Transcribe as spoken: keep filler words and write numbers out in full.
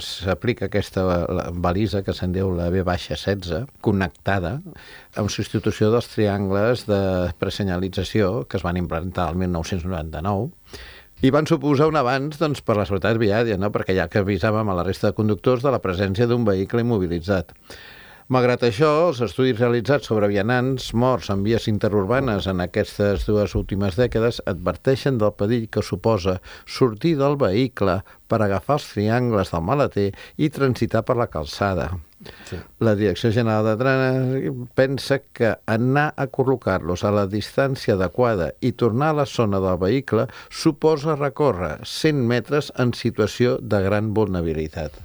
S'aplica aquesta balisa que se'n diu la B setze, connectada amb substitució dels triangles de presenyalització que es van implantar el mil nou-cents noranta-nou i van suposar un avanç doncs, per la seguretat viària, no? Perquè ja que avisàvem a la resta de conductors de la presència d'un vehicle immobilitzat. Malgrat això, els estudis realitzats sobre vianants morts en vies interurbanes en aquestes dues últimes dècades adverteixen del perill que suposa sortir del vehicle per agafar els triangles del maleter i transitar per la calçada. Sí. La Direcció General de Trànsit pensa que anar a col·locar-los a la distància adequada i tornar a la zona del vehicle suposa recórrer cent metres en situació de gran vulnerabilitat.